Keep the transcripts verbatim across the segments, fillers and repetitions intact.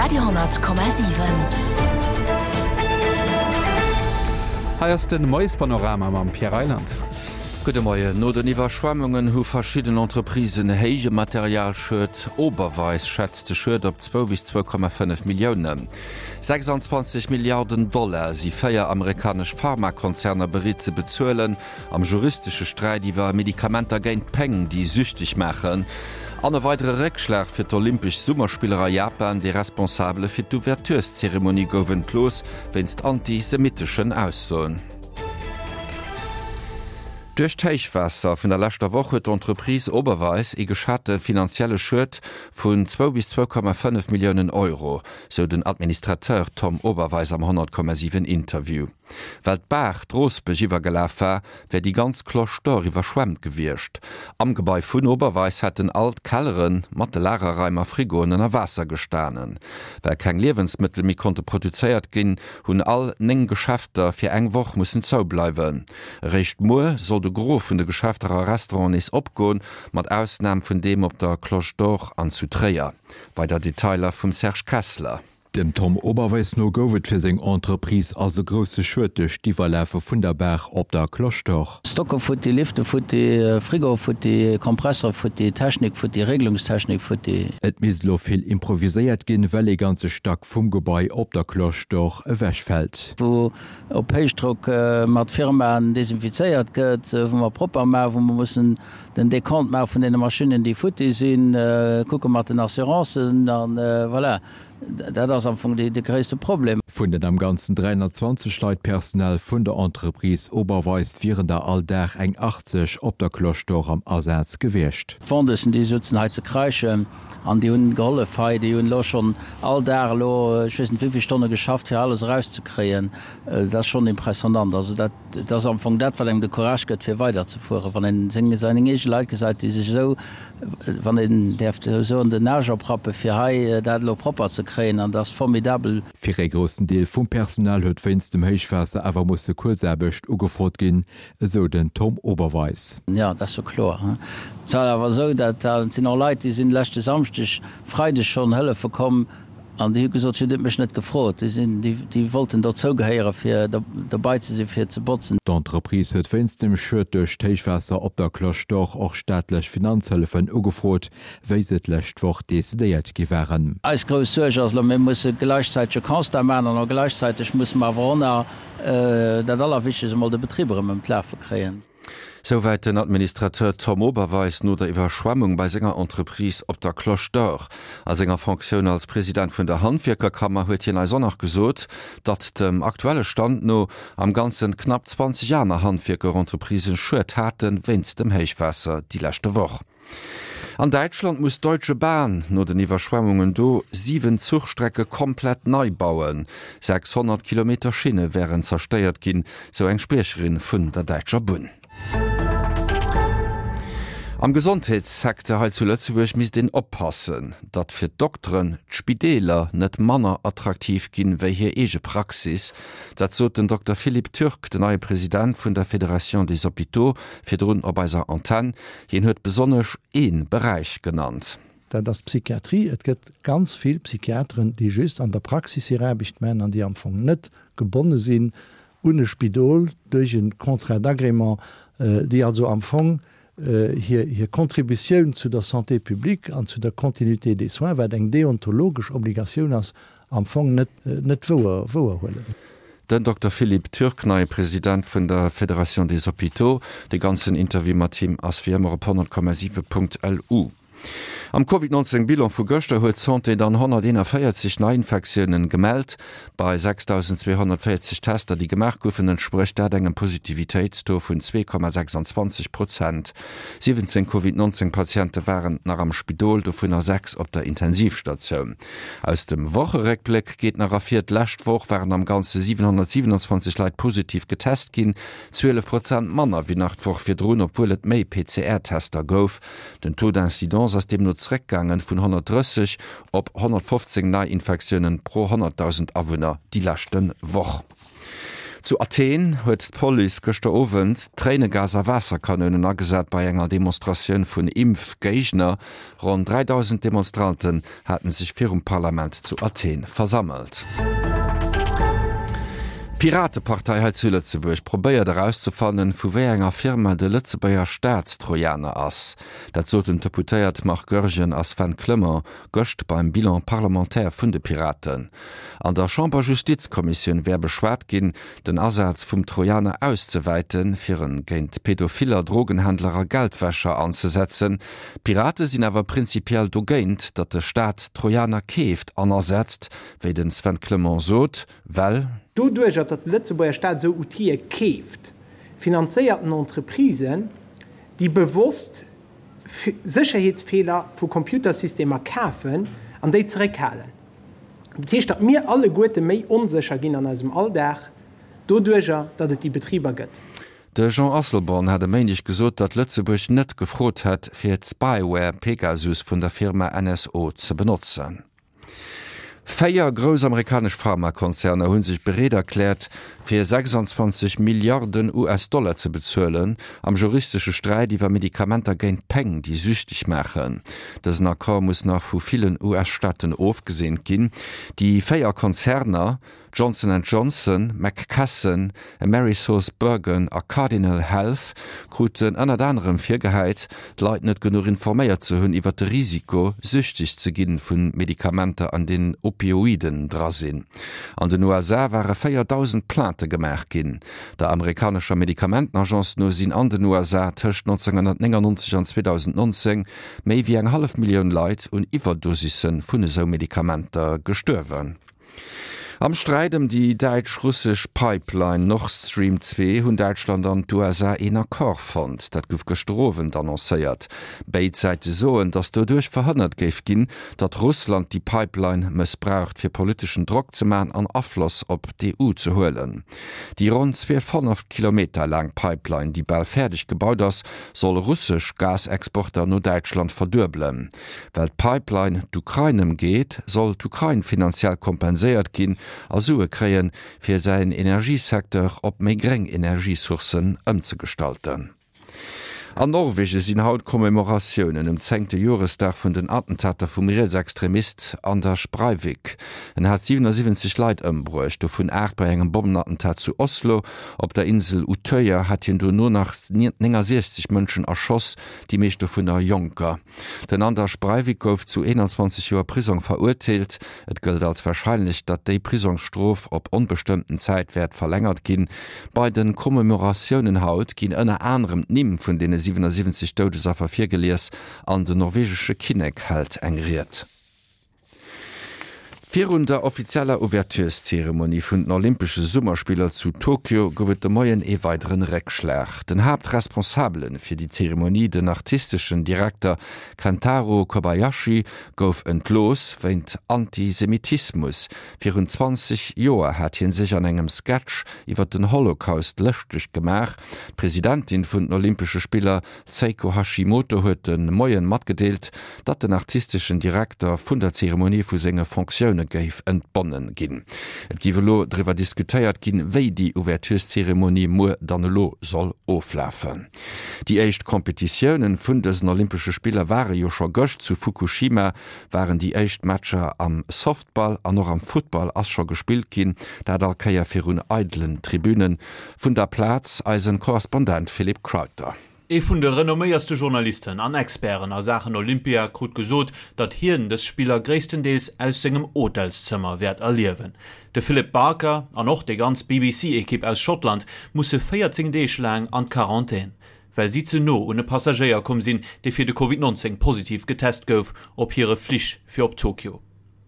Radio honnert Komma siwen. Hei ass de Moiespanorama mam Pierre Reyland. Gudde Moien. No den Iwwerschwemmungen hu verschidden Entreprisen héije Materialschued. Oberweis schätzt de Schued op zwou bis zwou Komma fënnef Milliounen. sechsandzwanzeg Milliarden Dollar si véier amerikanesch Pharmakonzerner bereet ze bezuelen am juristesche Sträit iwwer Medikamenter géint Péng, déi süchteg maachen. An e weidere Réckschlag fir d'Olympesch Summerspiller a Japan, De Responsabele fir d'Ouvertureszeremonie gouf entlooss wéinst antisemitteschen Aussoen. Duerch d'Héichwaasser vun der leschter Woch huet d'Entreprise Oberweis ee geschate finanzielle Schued vun zwou bis zwou Komma fënnef Milliounen Euro, sou den Administrateur Tom Oberweis am honnert Komma siwen Interview. Well d'Baach d'Roosbech iwwergelaf war, wär déi ganz Cloche d'Or iwwerschwemmt gewiescht. Am Gebai vun Oberweis hätten all d'Kellere mat de Lagerraim a Frigoen ënner Waasser gestanen. Well keng Liewensmëttel méi konnte produzéiert ginn, hunn all néng Geschäfter fir eng Woch mussen zoubleiwen. Eréischt muer soll de Gros vun de Geschäfter a Restauranten nees opgoen, mat Ausnam vun deem op der Cloche d'Or an zu Tréier. Weider Detailer vum Serge Kessler. Dem Tom Oberweis no gouf et fir seng Entreprise also grousse Schued duerch d'Iwwerlafe vun der Baach op der Cloche d'Or. Stocke futti, Lifte futti, Frigo futti, Kompressor futti, Technik futti, Regelungstechnik futti. Et misst elo vill improviséiert ginn, well ee ganze Stack vum Gebai op der Cloche d'Or ewechfält. Wou op Héichdrock mat Firmaen desinfizéiert gëtt, wou mer propper maachen, wou mer mussen den Dekont maache vun deene Maschinnen, déi futti sinn, kucke mat den Assurancen an voilà. Dat ass am Fong de gréisste Problem. Vun den am Ganzen dräihunnertzwanzeg Leit Personal vun der Entreprise Oberweis wieren der all Dag eng achtzeg op der Cloche d'Or am Asaz gewiescht. D'Vendeusen, déi sutzen hei ze kräischen an déi hunn gehollef hei. Déi hunn elo schonn all Dag elo ech weess net wéi vill Stonne geschafft, fir alles erauszekréien. Dat ass schonn impressionant. Also dat ass am Fong dat, wat engem de Courage gëtt, fir weiderzefueren, wann een seng seng eege Leit gesäit, déi sech esou, wann een däerf esou soen, den Aarsch oprappe fir hei dat elo propper ze kréien. An dat ass formidabel. Fir ee groussen Deel vum Personal huet wéinst dem Héichwaasser awer musse Kuerzaarbecht ugefrot ginn, esou den Tom Oberweis. Jo, dat ass jo kloer. Et war awer esou, dat sinn och Leit, déi sinn leschte Samschdeg, Freideg schonn hëllefe komm an déi hu gesot, si hutt mech net gefrot. Déi sinn, déi wollten dozou gehéiere fir dobei ze sinn, fir ze botzen. D'Entreprise huet wéinst dem Schued duerch d'Héichwaasser op der Cloche d'Or och staatlech Finanzhëllefen ugefrot, wéi se d'lescht Woch decidéiert gi waren. Eis grouss Suerg ass elo, mir musse gläichzäiteg e Constat maachen an och gläichzäiteg musse mer awer och nach dat Allerwichtegst emol, de Betrib erëm ëm d'Lafe kréien. Souwäit den Administrateur Tom Oberweis no der Iwwerschwemmung bei senger Entreprise op der Cloche d'Or. A senger Fonctioun als President vun der Handwierkerkammer huet hien eis och nach gesot, datt dem aktuelle Stand no am Ganzen knapp zwanzeg aner Handwierkerentreprisen Schued hate wéinst dem Héichwaasser déi leschte Woch. An Däitschland muss d'Deutsche Bahn no den Iwwerschwemmungen do siwen Zuchstrecke komplett nei bauen. sechshonnert Kilometer Schinne wären zerstéiert ginn, sou eng Spriecherin vun der däitscher Bunn. Am Gesondheetssecteur hei zu Lëtzebuerg misst een oppassen, datt fir d'Dokteren d'Spideeler net manner attraktiv ginn, wéi hir eege Praxis. Dat sot den Dokter Philippe Turk, den neie President vun der Fédération des Hôpitaux, virdrun op eiser Antenn. Hien huet besonnesch ee Beräich genannt. Dat ass d'Psychiatrie. Et gëtt ganz vill Psychiateren, déi just an der Praxis hir Aarbecht maachen an déi am Fong net gebonne sinn un e Spidol duerch e Contrat d'agrément, déi also am Fong hir hir Contributioun zu der Santé publique an zu der Continuité des soins, wat eng deontologesch Obligatioun ass, am Fong net net wouer wouerhuelen. Den Dokter Philippe Turk, neie President vun der Fédération des Hôpitaux. De ganzen Interview mat him ass wéi ëmmer op honnert Komma siwe Punkt lu. Am Covid neunzehn Bilan vu gëschter huet d'Santé dann honnerteenanvéierzeg Neiinfektiounen gemellt. Bei sechstausendzweehonnertvéierzeg Tester, déi gemaach goufen, entsprécht dat engem Positivitéitstaux vun zwee Komma sechsandzwanzeg Prozent. Siwwenzéng Covid neunzehn Patiente waren nach am Spidol, dovunner sechs op der Intensivstatioun. Aus dem Wocheréckbléck geet nach ervir, D'lescht Woch waren am Ganze siwenhonnertsiwenandzwanzeg Leit positiv getest ginn, zwielef Prozent manner wéi nach d'Woch virdrun, obwuel et méi P C R-Tester gouf. Den Taux d'incidence ass deemno zréckgaangen vun honnertdrësseg op honnertfofzéng Neiinfektiounen pro honnertdausend Awunner déi leschte Woch. Zu Athen huet d'Police gëschter Owend Tréinegas a Waasserkanounen agesat bei enger Demonstratioun vun Impfgéigner. Ronn dräidausend Demonstranten haten sech virum Parlament zu Athen versammelt. D'Piratepartei hei zu Lëtzebuerg probéiert erauszefannen, vu wéi enger Firma de Lëtzebuerger Staatstrojaner ass. Dat soten d'Deputéiert Marc Goergen a Sven Clement gëscht beim Bilan parlementaire vun de Piraten. An der Chamber-Justizkommissioun wär beschwat ginn, den Asaz vum Trojaner auszewäiten, fir en géint Pädophiller, Drogenhändler a Geldwäscher anzesetzen. D'Pirate sinn awer prinzipiell dogéint, datt de Staat Trojaner keeft an asetzt, wéi de Sven Clement sot, well. Doduerjer, datt de Lëtzebuerger Staat esou Outile keeft, finanzéiert en Entreprisen, déi bewosst Sécherheetsfeeler vu Computersystemer kafen an déi zeréckhalen. Dat heescht, datt mir alleguerte méi onsécher ginn an eisem Alldag, doduerjer, datt et déi Betriber gëtt. De Jean Asselborn hat e Méindeg gesot, datt Lëtzebuerg net gefrot hätt, fir d'Spyware Pegasus vun der Firma N S O ze benotzen. Véier grouss amerikanesch Pharmakonzerner hu sech bereet erkläert, fir sechsanzwanzeg Milliarden U S-Dollar ze bezuelen am juristesche Sträit iwwer Medikamenter géint Péng, déi süchteg maachen. Dësen Accord muss nach vu villen U S-Staaten ofgeseent ginn. Déi véier Konzerner, Johnson and Johnson, McKesson, AmerisourceBergen a Cardinal Health, kruten ënnert anerem virgehäit, d'Leit net genuch informéiert ze hunn iwwer de Risiko, süchteg ze ginn vu Medikamenter, an deenen Opioiden dra sinn. An den U S A ware véierdausend Plainte gemaach ginn. Der amerikanescher Medikamentenagence no sinn an den U S A tëscht nonzénghonnertnéngannonzeg an zweedausendnonzéng méi wéi eng hallef Millioun Leit un Iwwerdosisse vun esou Medikamenter gestuerwen. Am Sträit ëm déi däitsch-russesch Pipeline Nord Stream zwee hunn Däitschland an d'U S A een Accord fonnt. Dat gouf gëschter Owend annoncéiert. Béid Säite soen, datt doduerch verhënnert géif ginn, datt Russland déi Pipeline mëssbraucht, fir politeschen Drock ze man an Afloss op d'E U ze huelen. Déi ronn zweehonnert Kilometer laang Pipeline, déi bal fäerdeg gebaut ass, soll russesch Gasexporter no Däitschland verduebelen. Well d'Pipeline d'Ukrain ëmgeet, soll d'Ukrain finanziell kompenséiert ginn a Sue kréien, fir säin Energiesecteur op méi gréng Energiesourcen ëmzegestalten. An Norwegen sinn haut Commemoratiounen um zéngte Joresdag vun den Attentater vum Rietsextremist Anders Breivik. En hat siwenasiwwenzeg Leit ëmbruecht, dovun aacht bei engem Bommenattentat zu Oslo. Op der Insel Utøya hat hien dono nach néngasiechzeg Mënschen erschoss, déi meescht dovunner Jonker. Den Anders Breivik gouf zu eenanzwanzeg Joer Prisong verurteelt. Et gëllt als warscheinlech, datt déi Prisongsstrof op onbestëmmten Zäit wäert verlängert ginn. Bei de Commemoratiounen haut ginn ënner anerem d'Nimm vun deene siwenasiwwenzeg Doudesaffer virgelies an den norwegesche Kinnek hält eng Ried. Virun der offizieller Ouvertureszeremonie vun den Olympesche Summerspiller zu Tokio gouf et de Moien ee weideren Réckschlag. Den Haaptresponsabele fir déi Zeremonie, den artisteschen Direkter Kentaro Kobayashi, gouf entlooss wéint Antisemitismus. Virun zwanzeg Joer hat hie sech an engem Sketch iwwer den Holocaust lëschteg gemaach. D'Presidentin vun den Olympesche Spiller Seiko Hashimoto huet de Moien matgedeelt, datt den artisteschen Direkter vun der Zeremonie vu senge Fonctioune géif entbonnen ginn. Et géif elo driwwer diskutéiert ginn, wéi déi Ouvertureszeremonie muer dann elo soll oflafen. Déi éischt Kompetitiounen vun dësen Olympesche Spiller ware jo scho gëscht. Zu Fukushima waren déi éischt Matcher am Softball an och am Futtball ass scho gespillt ginn, dat all Kéier virun eidelen Tribünen. Vun der Plaz eisen Korrespondent Philippe Crowther. Ee vun de renomméierste Journalisten an Experten a Saachen Olympia krut gesot, datt hien dës Spiller gréisstendeels aus sengem Hotelszëmmer wäert erliewen. De Philip Barker an och déi ganz B B C-Ekipp aus Schottland musse véierzéng Deeg laang an d'Quarantän, well si ze no un e Passagéier komm sinn, dee fir de Covid nonzéng positiv getest gouf op hire Flich fir op Tokio.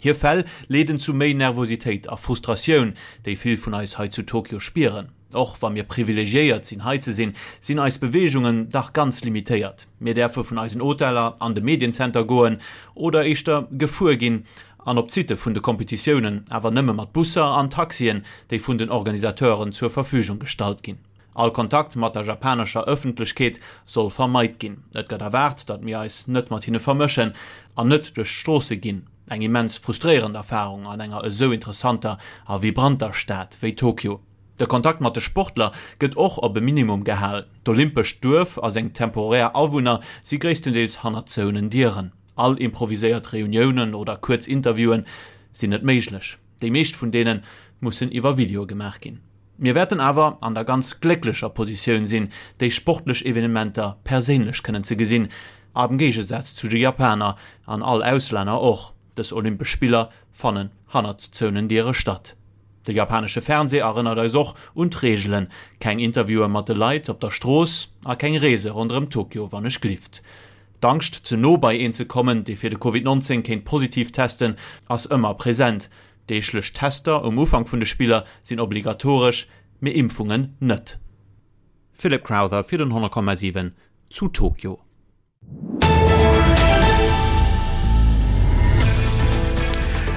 Hir Fäll leeden zu méi Nervositéit a Frustratioun, déi vill vun eis hei zu Tokio spieren. Och wa mir privilegiéiert sinn hei ze sinn, sinn eis Beweegungen dach ganz limitéiert. Mir däerfe vun eisen Hoteller an de Mediencenter goen oder éischter gefuer ginn an op d'Sitte vun de Kompetitiounen, awer nëmme mat Busser an Taxien, déi vun den Organisateuren zur Verfügung gestallt ginn. All Kontakt mat der japanescher Ëffentlechkeet soll vermeit ginn. Et gëtt erwaart, datt mir eis net mat hinne vermëschen an net duerch d'Stroosse ginn. Eng immens frustréierend Erfarung an enger esou interessanter a vibranter Stad wéi Tokio. De Kontakt mat de Sportler gëtt och op e Minimum gehal. D'Olympescht Duerf a seng temporär Awunner si gréisstendeels hannert zouenen Dieren. All improviséiert Reuniounen oder kuerz Interviewen sinn net méiglech. Déi meescht vun deene mussen iwwer Video gemaach ginn. Mir wäerten awer an der ganz glécklecher Positioun sinn, déi sportlech Evenementer perséinlech kënnen ze gesinn, am Géigesaz zu de Japaner an all Auslänner och. Dës Olympesch Spiller fannen hannert zouenen Diere statt. De japanesche Fernsee erënnert eis och un d'Reegelen, keng Interviewe mat de Leit op der Strooss a keng Reese ronderëm Tokio wann ech glift. D'Angscht, ze no bei een ze kommen, dee fir de Covid nonzéng kéint positiv testen, ass ëmmer present. Deeglech Tester um Ufank vun de Spiller sinn obligatoresch, mee Impfungen net. Philip Crowther fir den honnert Komma siwen zu Tokio.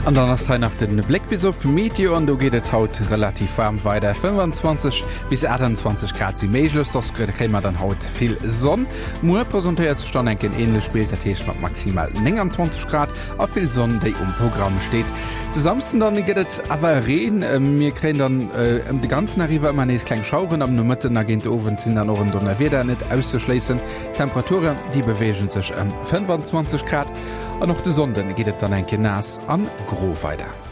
An dann ass hei nach den Bléck bis op Meteo an do geet et haut relativ waarm weider. fënnwanzwanzeg bis aachtanzwanzeg Grad si méiglech, soss kréie mer dann haut vill Sonn. Muer presentéiert sech dann enk en änlecht Bild, dat heescht mat maximal nénganzwanzeg Grad a vill Sonn, déi um Programm steet. De Samsden dann gëtt et awer Reen, mir kréien dann ëm de ganzen Dag iwwer ëmmer nees kleng Schaueren. Am Nomëtten a géint de Owend sinn dann och en Donnerwieder net auszeschléissen. D'Temperaturen, déi beweege sech ëm fënnwanzwanzeg Grad. An och de Sonnden geet et dann eng Kéier naass an gro weider.